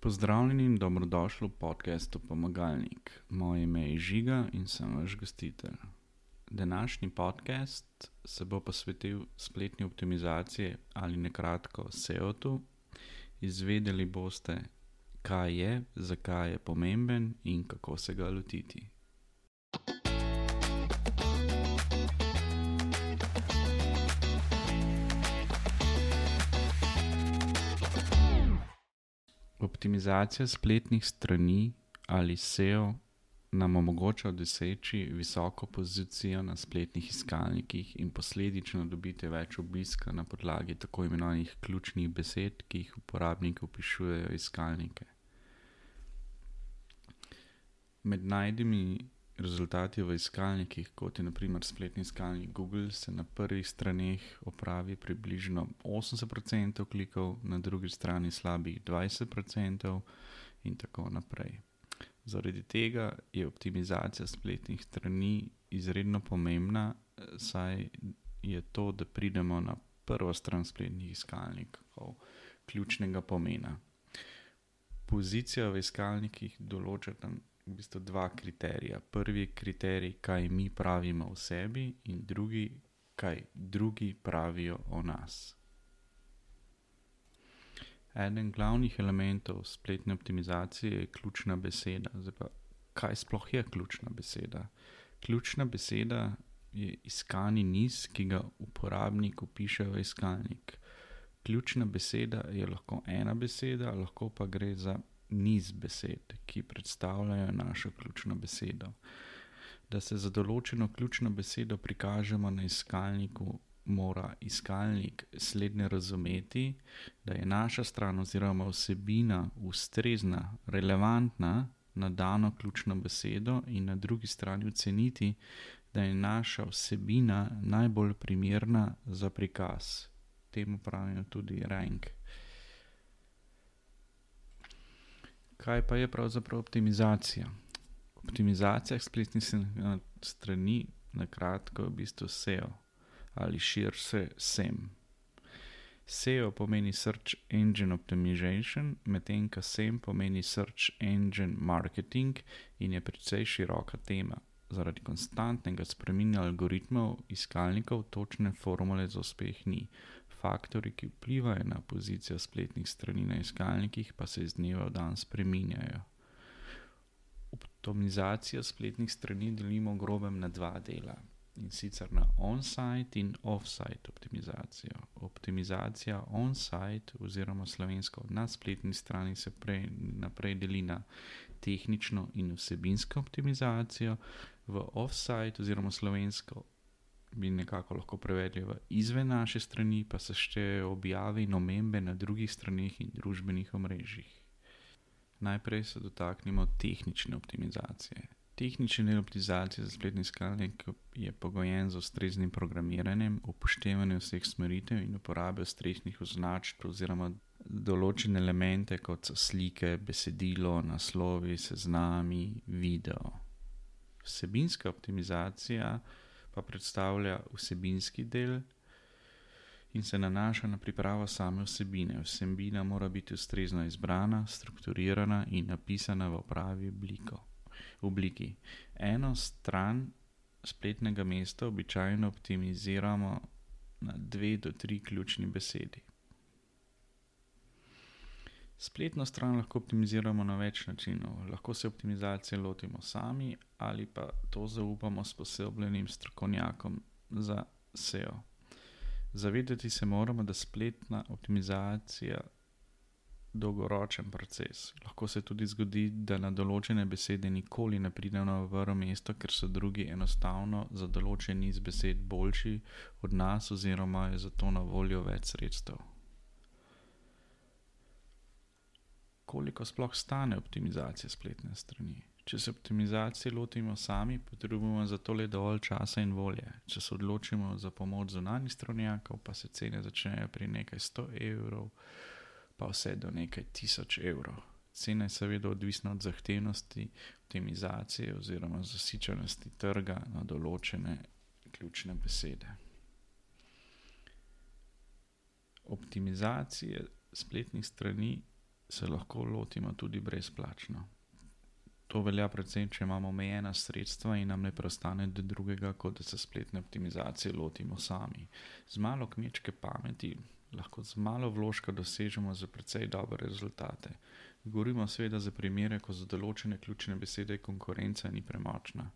Pozdravljeni in dobrodošli v podcastu Pomagalnik. Moje ime je Žiga in sem vaš gostitelj. Današnji podcast se bo posvetil spletni optimizaciji ali nakratko SEO-tu. Izvedeli boste, kaj je, zakaj je pomemben in kako se ga lotiti. Optimizacija spletnih strani ali SEO nam omogoča doseči visoko pozicijo na spletnih iskalnikih in posledično dobiti več obiska na podlagi tako imenovanih ključnih besed, ki jih uporabniki vpisujejo v iskalnike. Med najdimi rezultati v iskalnikih, kot je na primer spletni iskalnik Google, se na prvih straneh opravi približno 80% klikov, na drugi strani slabih 20% in tako naprej. Zaradi tega je optimizacija spletnih strani izredno pomembna, saj je to, da pridemo na prvo stran spletnih iskalnikov, ključnega pomena. Pozicija v iskalnikih določata v bistvu dva kriterija. Prvi kriterij, kaj mi pravimo o sebi, in drugi, kaj drugi pravijo o nas. Eden glavnih elementov spletne optimizacije je ključna beseda. Zdaj pa, kaj sploh je ključna beseda? Ključna beseda je iskani niz, ki ga uporabnik vpiše v iskalnik. Ključna beseda je lahko ena beseda, lahko pa gre za niz besed, ki predstavljajo našo ključno besedo. Da se za določeno ključno besedo prikažemo na iskalniku, mora iskalnik slednje razumeti, da je naša stran oziroma vsebina ustrezna, relevantna na dano ključno besedo in na drugi strani oceniti, da je naša vsebina najbolj primerna za prikaz. Temu pravijo tudi rank. Kaj pa je pravzaprav optimizacija? Optimizacija spletnih strani nakratko je v bistvu SEO ali širše SEM. SEO pomeni Search Engine Optimization, medtem ko SEM pomeni Search Engine Marketing in je precej široka tema. Zaradi konstantnega spreminjanja algoritmov iskalnikov točne formule za uspeh ni. Faktorji, ki vplivajo na pozicijo spletnih strani na iskalnikih, pa se iz dneva v dan spreminjajo. Optimizacijo spletnih strani delimo v grobem na dva dela, in sicer na on-site in off-site optimizacijo. Optimizacija on-site oziroma slovensko na spletni strani se naprej deli na tehnično in vsebinsko optimizacijo, v off-site oziroma slovensko bi nekako lahko prevedli v izven naše strani, pa se štejejo objave in omembe na drugih straneh in družbenih omrežjih. Najprej se dotaknemo tehnične optimizacije. Tehnični del optimizacije za spletni iskalnik je pogojen z ustreznim programiranjem, upoštevanjem vseh smeritev in uporabe ustreznih označb oziroma določene elemente, kot so slike, besedilo, naslovi, seznami, video. Vsebinska optimizacija pa predstavlja vsebinski del in se nanaša na pripravo same vsebine. Vsebina mora biti ustrezno izbrana, strukturirana in napisana v pravi obliki. Eno stran spletnega mesta običajno optimiziramo na 2 do 3 ključni besedi. Spletno stran lahko optimiziramo na več načinov. Lahko se optimizacije lotimo sami ali pa to zaupamo sposobljenim strokovnjakom za SEO. Zavedati se moramo, da spletna optimizacija dolgoročen proces. Lahko se tudi zgodi, da na določene besede nikoli ne pridemo na prvo mesto, ker so drugi enostavno za določen niz besed boljši od nas oziroma je zato na voljo več sredstev. Koliko sploh stane optimizacija spletne strani? Če se optimizacije lotimo sami, potrebujemo za to le dovolj časa in volje. Če se odločimo za pomoč zunanjih strokovnjakov, pa se cene začnejo pri nekaj 100 evrov, pa vse do nekaj 1000 evrov. Cena je seveda odvisna od zahtevnosti optimizacije oziroma zasičenosti trga na določene ključne besede. Optimizacije spletnih strani se lahko lotimo tudi brezplačno. To velja predvsem, če imamo omejena sredstva in nam ne preostane drugega, kot da se spletne optimizacije lotimo sami. Z malo kmečke pameti lahko z malo vložka dosežemo za precej dobre rezultate. Govorimo seveda za primere, ko za določene ključne besede konkurenca ni premočna.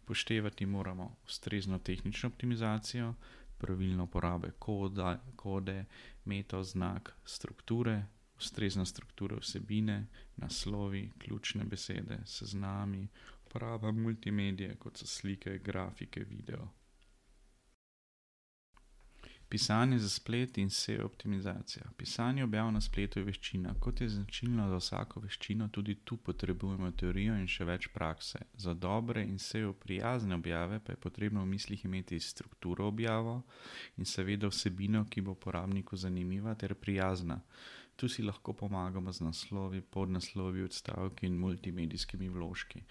Upoštevati moramo ustrezno tehnično optimizacijo, pravilno uporabe kode, metaoznak, strukture, ustrezna struktura vsebine, naslovi, ključne besede, seznami, uporaba multimedije, kot so slike, grafike, video. Pisanje za splet in SEO optimizacija. Pisanje objav na spletu je veščina. Kot je značilno za vsako veščino, tudi tu potrebujemo teorijo in še več prakse. Za dobre in SEO prijazne objave pa je potrebno v mislih imeti strukturo objavo in seveda vsebino, ki bo uporabniku zanimiva ter prijazna. Tu si lahko pomagamo z naslovi, podnaslovi, odstavki in multimedijskimi vložki.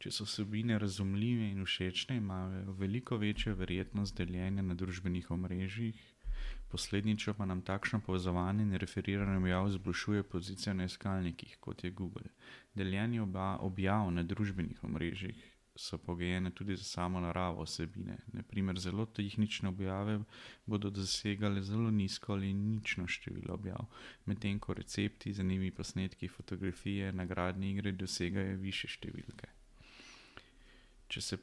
Če so vsebine razumljive in všečne, imajo veliko večjo verjetnost deljenja na družbenih omrežjih, posledično pa nam takšno povezovanje in referiranje objav izboljšuje pozicijo na iskalnikih, kot je Google. Deljenje objav na družbenih omrežjih so pogojene tudi za samo naravo vsebine. Na primer, zelo tehnične objave bodo dosegale zelo nizko ali nično število objav, medtem ko recepti, zanimivi posnetki, fotografije, nagradne igre dosegajo višje številke. Če se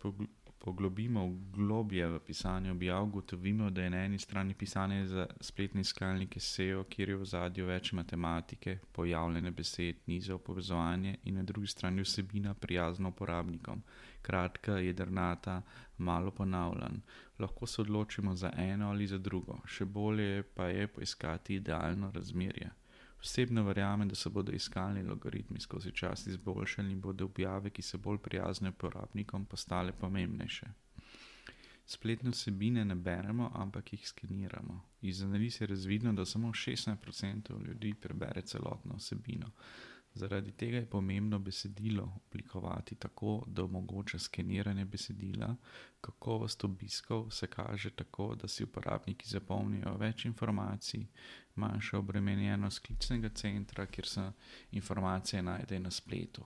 poglobimo globlje v pisanje objav, ugotovimo, da je na eni strani pisanje za spletne iskalnike SEO, kjer je v ozadju več matematike, pojavljene besed, nizov, povezovanje in na drugi strani vsebina prijazna uporabnikom, kratka, jedrnata, malo ponavljan. Lahko se odločimo za eno ali za drugo, še bolje pa je poiskati idealno razmerje. Osebno verjamem, da se bodo iskalni algoritmi skozi čas izboljšali in bodo objave, ki so bolj prijazne uporabnikom, postale pomembnejše. Spletne vsebine ne beremo, ampak jih skeniramo. Iz analiz je razvidno, da samo 16% ljudi prebere celotno vsebino. Zaradi tega je pomembno besedilo oblikovati tako, da omogoča skeniranje besedila. Kakovost obiskov se kaže tako, da si uporabniki zapomnijo več informacij, manjša obremenjenost klicnega centra, kjer se informacije najdejo na spletu.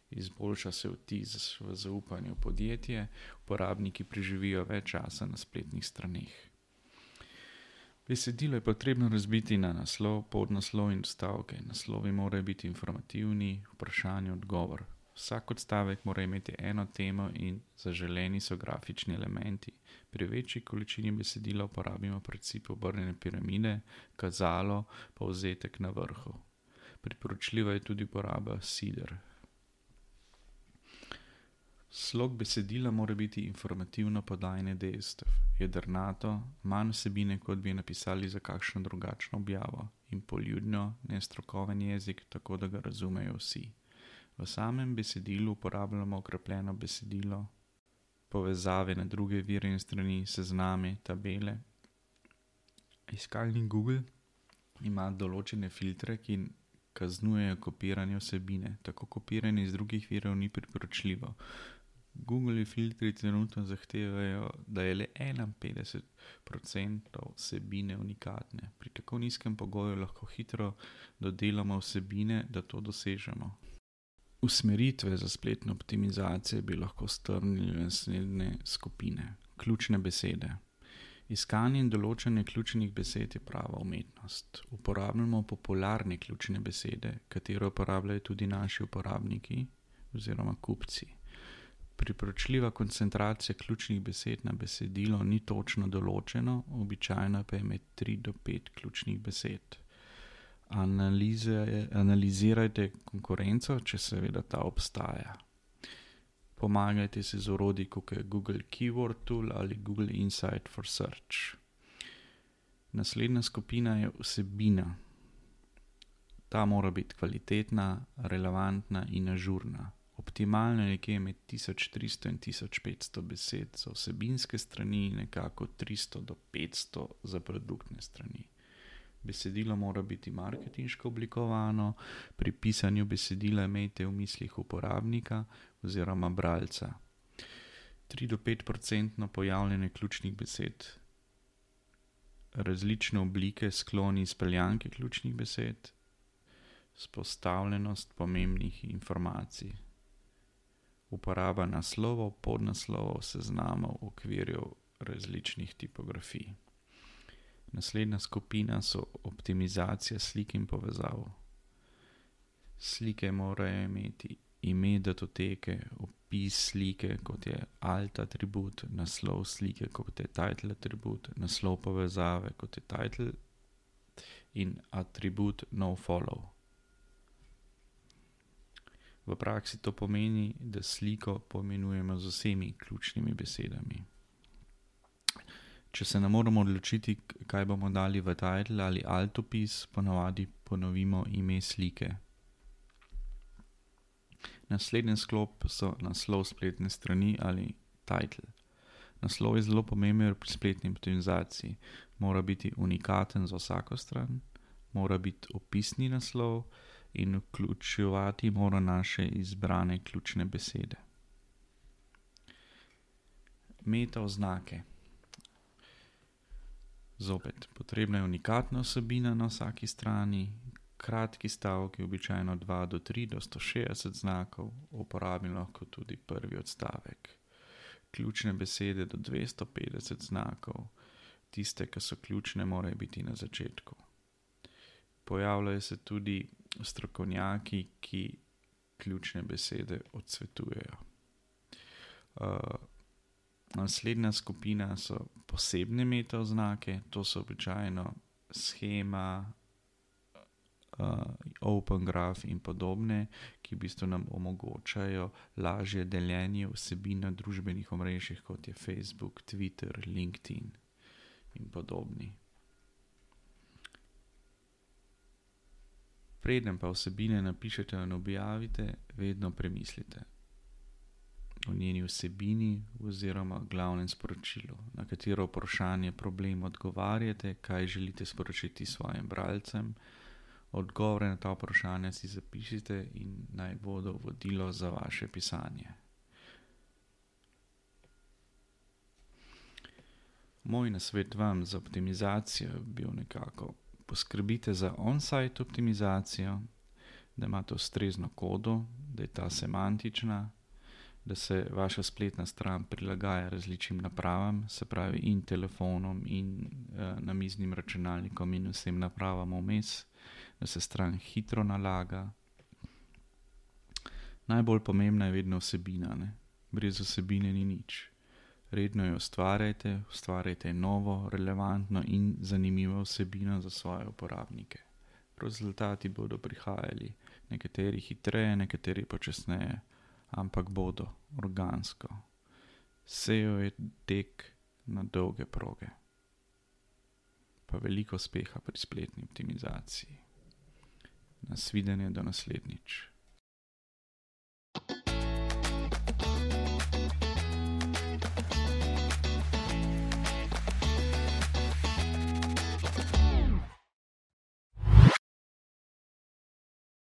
Izboljša se vtis v zaupanju v podjetje, uporabniki preživijo več časa na spletnih straneh. Besedilo je potrebno razbiti na naslov, podnaslov in odstavke. Naslovi morajo biti informativni, vprašanje, odgovor. Vsak odstavek mora imeti eno temo in zaželeni so grafični elementi. Pri večji količini besedila uporabimo princip obrnjene piramide, kazalo, povzetek na vrhu. Priporočljiva je tudi uporaba sider. Slog besedila mora biti informativno podajanje dejstev, jedrnato, manj vsebine, kot bi napisali za kakšno drugačno objavo, in poljudno, nestrokoven jezik, tako da ga razumejo vsi. V samem besedilu uporabljamo okrepljeno besedilo, povezave na druge vire in strani, sezname, tabele. Iskalnik Google ima določene filtre, ki kaznujejo kopiranje vsebine. Tako kopiranje iz drugih virov ni priporočljivo. Google filtri trenutno zahtevajo, da je le 51% vsebine unikatne. Pri tako nizkem pogoju lahko hitro dodelamo vsebine, da to dosežemo. Usmeritve za spletno optimizacijo bi lahko strnili v naslednje skupine. Ključne besede. Iskanje in določanje ključnih besed je prava umetnost. Uporabljamo popularne ključne besede, katero uporabljajo tudi naši uporabniki oziroma kupci. Priporočljiva koncentracija ključnih besed na besedilo ni točno določeno, običajno pa je med 3 do 5 ključnih besed. Analizirajte konkurenco, če seveda ta obstaja. Pomagajte se z orodji, kot je Google Keyword Tool ali Google Insight for Search. Naslednja skupina je vsebina. Ta mora biti kvalitetna, relevantna in ažurna. Optimalno je nekje med 1300 in 1500 besed za vsebinske strani, nekako 300 do 500 za produktne strani. Besedilo mora biti marketinško oblikovano, pri pisanju besedila imejte v mislih uporabnika oziroma bralca. 3 do 5% pojavljanje ključnih besed. Različne oblike, skloni, izpeljanke ključnih besed. Vzpostavljenost pomembnih informacij. Uporaba naslovov, podnaslovov, seznamov, okvirjev različnih tipografij. Naslednja skupina so optimizacija slik in povezav. Slike morajo imeti ime datoteke, opis slike, kot je alt atribut, naslov slike, kot je title atribut, naslov povezave, kot je title in atribut nofollow. V praksi to pomeni, da sliko poimenujemo z vsemi ključnimi besedami. Če se ne moramo odločiti, kaj bomo dali v title ali alt opis, ponavadi ponovimo ime slike. Naslednji sklop so naslov spletne strani ali title. Naslov je zelo pomemben pri spletni optimizaciji. Mora biti unikaten za vsako stran, mora biti opisni naslov in vključevati mora naše izbrane ključne besede. Meta oznake. Zopet, potrebna je unikatna vsebina na vsaki strani, kratki stavki, običajno 2 do 3 do 160 znakov, uporabim lahko tudi prvi odstavek. Ključne besede do 250 znakov, tiste, ki so ključne, morajo biti na začetku. Pojavljajo se tudi strokovnjaki, ki ključne besede odsvetujejo. Naslednja skupina so posebne meta oznake, to so običajno shema, open graph in podobne, ki v bistvu nam omogočajo lažje deljenje vsebin na družbenih omrežjih, kot je Facebook, Twitter, LinkedIn in podobni. Preden pa vsebine napišete in objavite, vedno premislite o njeni vsebini oziroma glavnem sporočilu, na katero vprašanje problem odgovarjate, kaj želite sporočiti svojim bralcem. Odgovore na ta vprašanja si zapišite in naj bodo vodilo za vaše pisanje. Moj nasvet vam za optimizacijo je bil nekako: poskrbite za on-site optimizacijo, da imate ustrezno kodo, da je ta semantična, da se vaša spletna stran prilagaja različnim napravam, se pravi in telefonom in namiznim računalnikom in vsem napravam vmes, da se stran hitro nalaga. Najbolj pomembna je vedno vsebina, ne? Brez vsebine ni nič. Redno jo ustvarjajte novo, relevantno in zanimivo vsebino za svoje uporabnike. Rezultati bodo prihajali, nekateri hitreje, nekateri počasneje, ampak bodo organsko. SEO je tek na dolge proge. Pa veliko uspeha pri spletni optimizaciji. Nasvidenje do naslednjič.